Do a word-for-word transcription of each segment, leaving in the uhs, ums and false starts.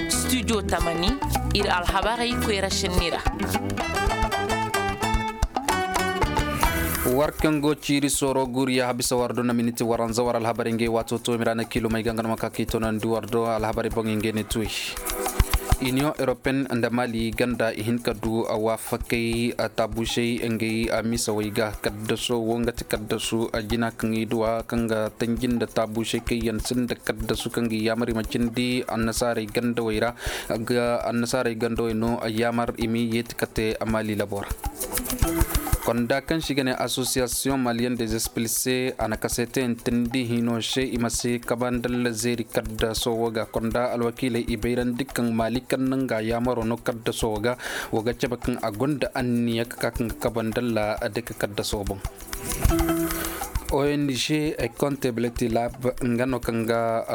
Studio tamani, ir alhabarey koyra šenni ra. War kaŋ go ciiri sooro guriya habisa war do na miniti waranza war alhabarey ngey waato to mira na kiilumey ga nga no ma ka k'i tonandi war do alhabarey boŋey ngey ne tuwey. Iniyoŋ europeyen nda mali ganda i hin ka du waafakey taabuusey ngey misawey ga. Kaddaso wo nga ti kaddasu jina kaŋ i duwa kaŋ ga tanji nda taabuusey kaŋ yaŋ sinda kaddasu kaŋ ga i yaamar i ma cindi annasaarey gandawey ra. Annasaarey gandawey no yaamar i m'i yeeti kate mali labo ra. Konda kaŋ se i ga ne association malienne des expulsés a na kaseete yaŋ teendi hino se i ma si kabandalla zeeri kaddaso wo ga konda alwakiiley i bayrandi kaŋ mali kaŋ no nga yaamaro no kaddaso wo ga. Wo ga cabe kaŋ a gonda anniya ka ka kaŋ ga kabandalla de ka kaddaso boŋ. Ong, comptability lab nga no kaŋ ga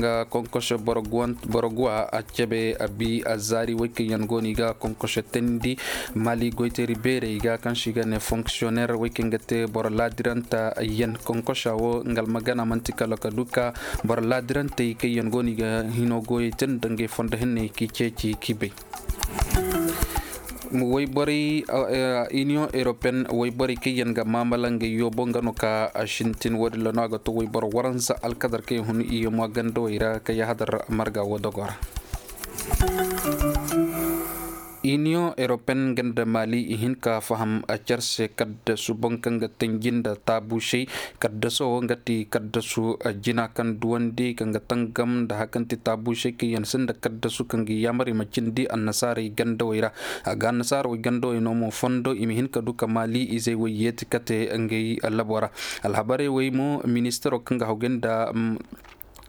nga konkosho boro guwa a cabe a bi a zaari woy kaŋ yaŋ go no i ga konkosho teendi mali goyteeri beerey ga kaŋ se i ga ne fonkisiyonner woy kaŋ ga te boro laadiranta yaŋ konkosha wo nga almagana man'ti kala ka du ka boro laadirantey kaŋ yaŋ go no i ga hino goyey te nda ngey fondo henney k'i ceeci k'i bay. Wayborey, iniyoŋ europeyen wayborey kaŋ yaŋ ga maamala ngey yoobo nga no ka sintin wo- din ra no a ga to wayboro waransa alkadar kaŋ yaŋ hun i yamma gandawey ra kaŋ yahadar marga wo dogo ra. Iniyoŋ europeyen nga nda mali i hin ka faham car se kaddasu boŋ kaŋ ga tanji nda taabuusey. Kaddaso wo nga ti kaddasu jina kaŋ duwandi kaŋ ga tangam nda hari kaŋ ti taabuusey kaŋ yaŋ sinda kaddasu kaŋ ga yaamar i ma cindi annasaarey gandawey ra. A ga annasaarey gandawey no mo fondo i ma hin ka du ka maali izey wey yeeti kate ngey labo ra. Alhabarey wey mo ministaro kaŋ ga hawgay nda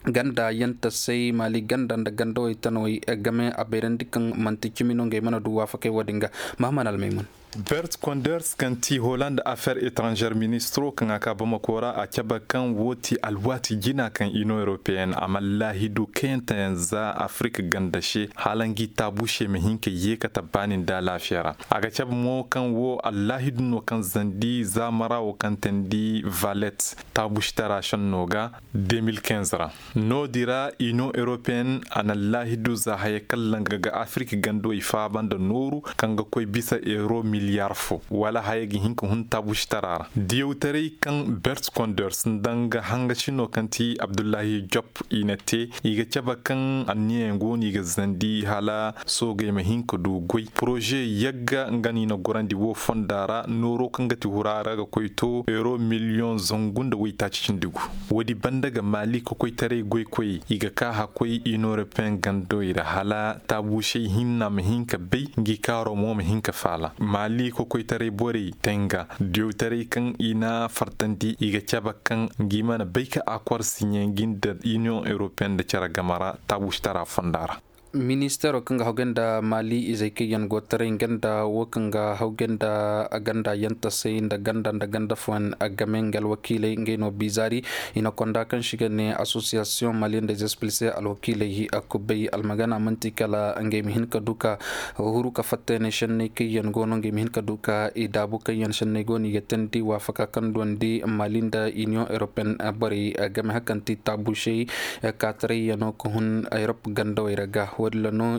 ganda yantasey maali ganda nda gandawey tanawey game a bayrandi kaŋ manti cimi no ngey mana du waafakey wo- din ga. Mahaman almaymun. Bert konders kaŋ ti holand affaire étrangère ministro kaŋ a ka bamako ra a cabe kaŋ wo ti alwaati jina kaŋ inion européenne a ma laahidu kayanteyaŋ za afrik ganda se hala ngi taabu se ma hin ka yeeka tabbaani nda alaafiya ra. A ga cabe mo kaŋ wo allaahidu no kaŋ zandi zaamara wo kaŋ teendi valet taabu se tara senno ga. De mil kinze ra noodi ra inion européenne a na laahidu za haya kaŋ langa ga afirki gandawey faaba nda nooru kaŋ ga koy bisa euro miliyar fo wala haya ga hin ka hun taabu se tara ra diyawtaray kaŋ bert konders nda nga hanga sino kaŋ ti abdullahi job i na te i ga cabe kaŋ anniyayaŋ go no i ga zandi hala soogey ma hin ka du goy poroze yagga nga no i na gorandi wo fonda ra nooro kaŋ ga ti hura ra ga koy to euro miliyoŋ zangu nda waytaaci cindi gu. Woodi banda ga maali kokoytaray goykoyey i ga ka hakkoy inion européenne gandawey ra hala taabuusey hinna ma hin ka bay ngi kaaro mo ma hin ka faala maali kokoytaray borey tenga diyawtaray kaŋ i na fartandi i ga cabe kaŋ ngi mana bay ka akor siɲe ngi nda inion européenne nda cere game ra taabuusitara fonda ra. Ministeero kaŋ ga hogay nda maali izey kaŋ yaŋ go taray nga nda wo kaŋ ga hogay nda ganda yantasey nda ganda nda ganda fooyaŋ game nga alwakiiley ngey no bizaari. I na konda kaŋ se i ga ne asosiyasiyoŋ maliyen de zespilse alwakiiley kubay almagana man'ti kala ngey ma hin ka du ka huru ka fatta yaŋ senney kaŋ yaŋ go no ngey ma hin ka du ka i daabu kaŋ yaŋ senney go no i ga teendi waafaka kaŋ duwandi maali nda iniyoŋ europeyen borey game hari kaŋ ti taabuusey kaataray yaŋo ka hun erop gandawey ra ga wo- din ra no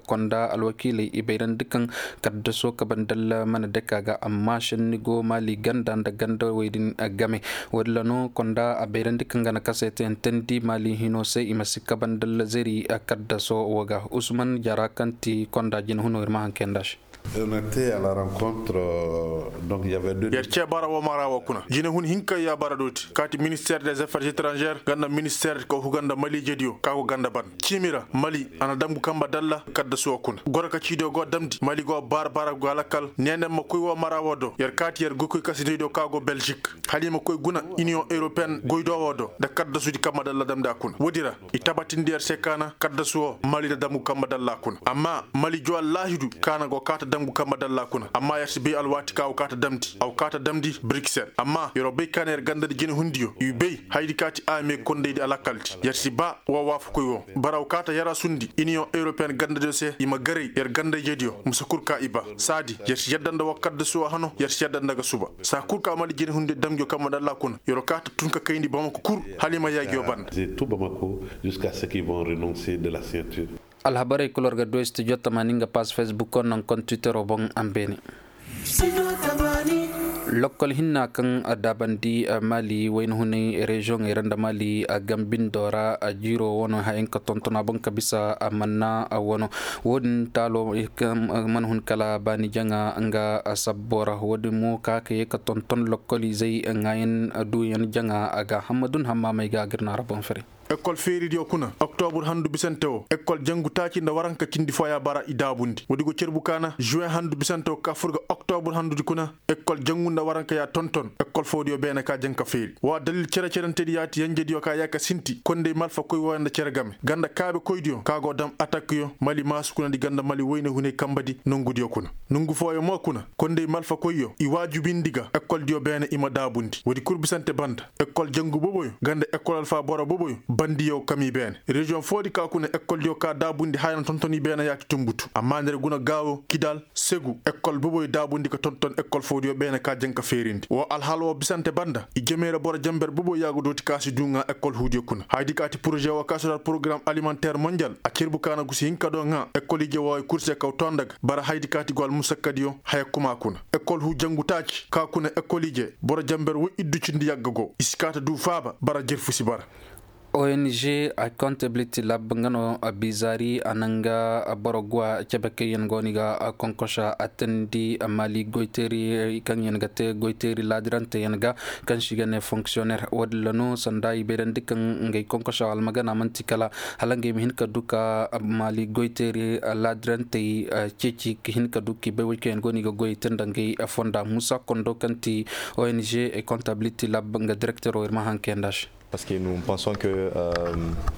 konda alwakiiley i bayrandi kaŋ kaddaso kabe nda allah mana dake a ga amma senni go maali ganda nda gandawey din game. Wo- din ra no konda a bayrandi kaŋ ga na kasay te yaŋ teendi maali hino se i ma si kabe nda allah zari kaddaso wo ga usman jara kaŋ ti konda jina huno ir ma haŋ kay nda se. Yer ce bara wo mara wo kuna jine hun hinka ya bara dooti kaati minister des affaires etrangeres ganda minister ka huga nda mali jediyo ka go ganda ban ciimi ra mali a na damgu kamba dalla kaddasu wo kuna goro ka ciidiyo go damndi mali go bara bara go alakal neenen ma koy wo mara wo do yer kaati yer goykoy kasinaydiyo ka go belgique hala i ma koy guna iniyoŋ europeen goydo wo do nda kaddasudi kamba dalla damndi a kuna woodi ra i tabatindi yer se kaana kaddasu wo mali nda damgu kamba dalla a kuna amma mali juwa laahidu kaana go kaata. Dangu kambe dalla kuna amma yer si bay alwaati ka a go kaa ta damndi a go kaa ta damndi briksel amma yer'o bay ka na yer gandadi jinehundiyo i bay hayadi ka ti a mee kondaydi alakkaldi yer si baa woo waafakoy woo bara a go kaa ta yarasundi iniyoŋ europeyen gandadiyo se i ma garay yer ganda-ijediyo mise kul ka i baa saadi yer si yadda nda woo kaddasuwa hano yer si yadda nda ga suba saa kul ka mali jinehundiyo damngiyo kambe dalla kuna yer'o kaa ta tun ka kayndi bamako kul hala i ma yaagiyo banda. Alhabarey kul war ga du studio tamaani nga pass facebook non kon twittero boŋ a ma beene. Lokkol hinna kaŋ a daabandi mali wayna hunay reziyoŋey ra nda mali a gambindoo ra a jiiroo wano hayaŋ ka tonton a boŋ ka bisa a manna wano. Wo-din taalo mana hun kala baani jaŋa nga sabboo ra wo-din mo ka ka yee ka tonton lokkoliizey ŋaayan duuyan jaŋa a ga hammadun hammaamey ga a ga ir na a ra boŋ fere. Ekkol feeridiyo kuna oktobur handu bisante wo ekkol jangu taaci nda waranka cindi fooya bara i daabundi woodi go cerbu ka na juwen handu bisante wo ka fur ga oktobur handudi kuna ekkol jangu nda waranka ya tonton ekkol foodiyo beene ka jaŋ ka feeri woo addalil cere-cerentedi yaati yenjediyo ka yee ka sinti kondey malfakoy wooyo nda cere game ganda kaabekoydiyo ka go dam atakyo mali maasu kuna di ganda mali woyne hunay kambedi nongudiyo kuna nongu fooyo mo kuna kondey malfakoyyo i waajubindi ga ekkoldiyo beene i ma daabundi woodi kul bisante banda ekkol jangu boboyo ganda ekkol alfa boro boboyo bandiyo kami beene reziyoŋ foodi ka kuna ekkoldiyo ka daabundi haya na tontoni beene yaaki tumbutu amma nda ir guna gaawo kidal segu ekkol boboyo daabundi ka tonton ekkol foodiyo beene ka jaŋ ka feerindi woo alhaal woo bisante banda i jemey ra boro jamber boboyo yaagu dooti ka si duu ŋaa ekkol huudiyo kuna hayadi ka ti poroze woo ka si duu alporogaram alimanteer monjal a cerbu ka na gusi hinka do ŋaa ekkol ije wooyo kul se kaw too nda ga bara hayadi ka ti go almusakkadiyo haya kuma kuna ekkol huu jangu taaci ka kuna ekkol ije boro jamber woy iddu cindi yagga go i si kaa ta duu faaba bara jerfu si bara. Ong a kontablit lab nga no bizaari a na nga boro guwa cebe kaŋ yaŋ go no i ga konkosa a teendi maali goyteeri kaŋ yaŋ ga te goyteeri laadirante yaŋ ga kaŋ se i ga ne fonksiyoneer wo- din ra no sanda i bayrandi kaŋ ngey konkosa almagana man'ti kala hala ngey ma hin ka du ka maali goyteeri laadirantey ceeci ka hin ka du ka i bay woy kaŋ yaŋ go no i ga goyey te nda ngey fonda muusa kondo kaŋ ti ong kontablit lab nga direktero ir ma haŋ kayandi a se. Parce que nous pensons que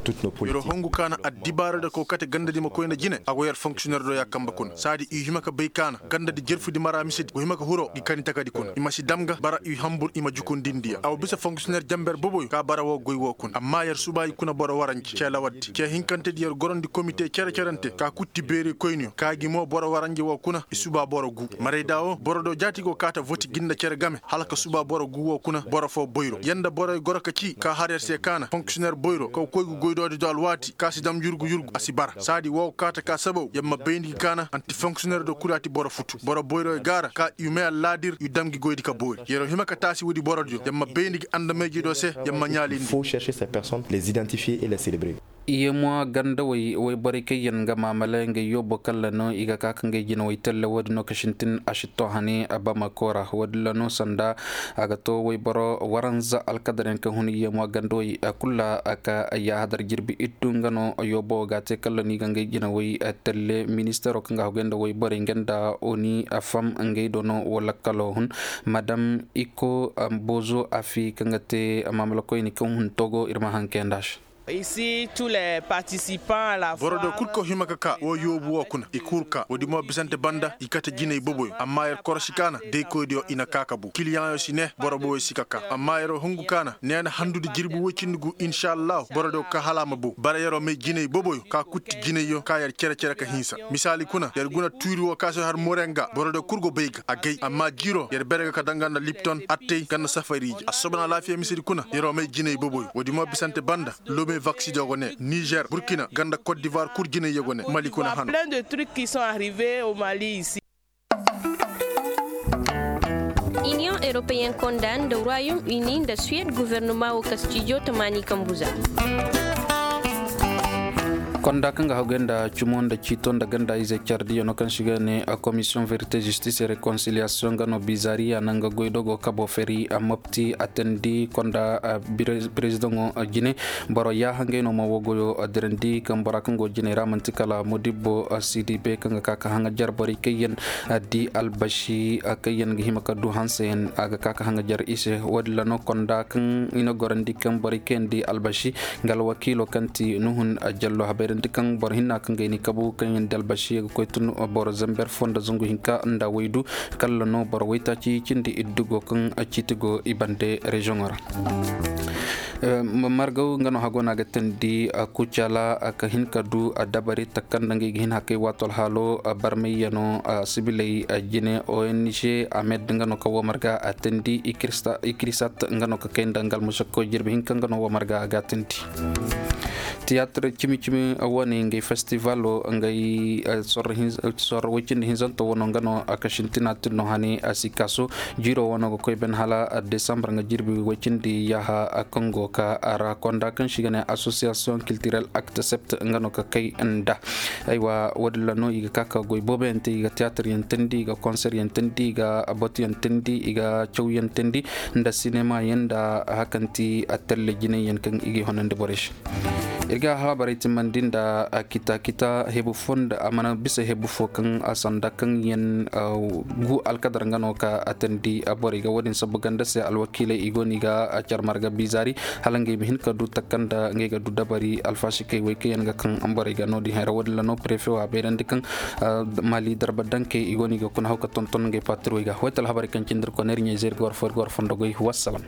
tout nos politiques. Yer wo hongu ka na addibaara da kookate gandadi ma koy nda jine a go yer fonksiyoneer do ya kambe kuna saadi i hima ka bay ka na gandadi jerfudi mara misedi go hima ka hiro gi kani takadi kuna i ma si dam ga bara i hambur i ma jukundindi ya a wo bisa fonksiyoneer jamber boboyo ka bara woo goy woo kuna amma yer suba i kuna boro waranji ce lawaddi ce hinkantedi yer gorandi komite cere-cerante ka kutti beeri koyniyo ka gi mo boro waranji woo kuna i suba boro gu marayda woo boro do jaati go kaa ta voti gi nda cere game hala ka suba boro gu woo kuna boro foo boyro yer nda boroyo goro ka cii ka har yer se ka na fonksiyoneer boyro kaw koy ga goydoodi do alwaati ka si dam yurgu yurgu a si bara saadi woo kaata ka sabaw yer ma bayndi ga ka na anti fonksiyoneer do kul a ti boro futu boro boyroyo gaara ka i may allaadir i dam gi goydi ka boori yer wo hima ka taasi woodi borodiyo yer ma bayndi ga andamayjediyo se yer ma ɲaalindi. Faut chercher ces personnes les identifier et les célébrer. Yeemuwa gandawey woyborey kaŋ yaŋ ga maamale ngey yoobo kaŋ ra no i ga ka ka ngey jinawey telle wo- din no ka sintin a si to hane bamako ra wo- din ra no sanda a ga to woyboro waranza alkadar yaŋ kaŋ hun yeemuwa gandawey kul ra ka yaahadar jirbi iddu nga no yoobo ga te kaŋ ra no i ga ngey jinawey telle ministeero kaŋ ga haguyaŋ nda woyborey nga nda oni fam ngey do no wo lakkalo hun madam iko bozo afi kaŋ ga te maamalakoyni kaŋ hun togo ir ma haŋ kayandi a se. Boro do kul ka hima ka ka wo yoobu wo kuna i kul ka wo- din mo bisante banda i kate jinay boboyo amma yer korosi ka na daykoydiyo i na ka ka bu kiliyaŋyo si ne boro boboyo si ka ka amma yer wo hungu ka na neena handudi jirbi woy cindi gu insa allahu boro do ka hala a ma bu bara yer wo may jinay boboyo ka kutti jinayyo ka yer cere-cere ka hinsa misaali kuna yer guna tuuri wo ka si har morenga boro do kul go bay ga a gay amma jiiro yer bere ga ka danga nda lipton attey nga nda safari ije assobon alaafiya misedi kuna yer wo may jinay boboyo wo- din mo bisante banda lome vaksidiyo go ne nizer burkina nga nda kot divoir kul jinayyo go ne mali kuna hano. Inion europeyen konda nda royaume uni nda suwed guvernoma wo kastijo tamaani kambuza. Konda kaŋ ga haguyaŋ nda cumo nda ciito nda ganda ize cardiyo no kaŋ se i ga ne komisiyoŋ verite zistis e rekonsiliyasiyoŋ ga no bizariya naŋ ga goydogo kabo feri a mopti a teendi konda perezidaŋo jine boro yaaha ngey no ma wo goyo dirandi kaŋ bora kaŋ go jiney ra man'ti kala modibbo sidibe kaŋ ga ka ka haŋajer borey kaŋ yaŋ di albashi kaŋ yaŋ ga hima ka du hanseyaŋ a ga ka ka haŋajer i se wo- din ra no konda kaŋ i na gorandi kaŋ borey kaŋ yaŋ di albashi nga alwakiilo kaŋ ti nuhun jallo habay. Nda kaŋ boro hinna kaŋ ga i ni kabu kaŋ yaŋ dalbasi ga koy tun boro zamber fo nda zangu hinka nda waydu, kala no boro waytaaci cindi iddu go kaŋ ciiti go i bande reziyoŋo ra. Margaw nga no hago no a ga teendi kucala ka hin ka du dabari takanda nga i ga hin hakay waato alhaalo barmayyano sibiley jine ong amed nga no ka wo marga a teendi. Ikrisat nga no ka kay nda nga almusakko jirbi hinka nga no wo marga a ga a teendi. Tiyaatir cimi cimi wane ngey festivalo ngey sorro woy cindi hinzanto wano nga no a ka sintina tin no hane a si kaasu. Jiiro wano ga koy ben hala desambar nga jirbi woy cindi yaaha kaŋ go ka a ra konda kaŋ si ga ne asosiyasiyoŋ kiltirel aktesept nga no ka kay nda. Aywa wo- din ra no i ga ka ka goy booboyaŋ te i ga tiyaatiryaŋ teendi i ga konseryaŋ teendi i ga batuyaŋ teendi i ga cawyaŋ teendi nda sinemayaŋ nda hakanti a telle jinayyaŋ kaŋ i ga i honandi borey se. Ir ga alhabarey timmandi nda kita kita hebu fo nda a mana bisa hebu fo kaŋ a sanda kaŋ yaŋ gu alkadar nga no ka a teendi borey ga wo- din sabu ganda se alwakiiley i go no i ga care marga bizaari hala ngey ma hin ka du takanda ngey ga du dabari alfasikey wey kaŋ yaŋ ga kaŋ borey ga no- din hayra wo- din ra no prefe wo a bayrandi kaŋ mali darba dankey i go no i ga kuna haw ka tonton ngey patirwey ga wayta alhabarey kaŋ cindi ir kone ir ɲa-ize ir ga war fo ir ga war fondo goy wassalam.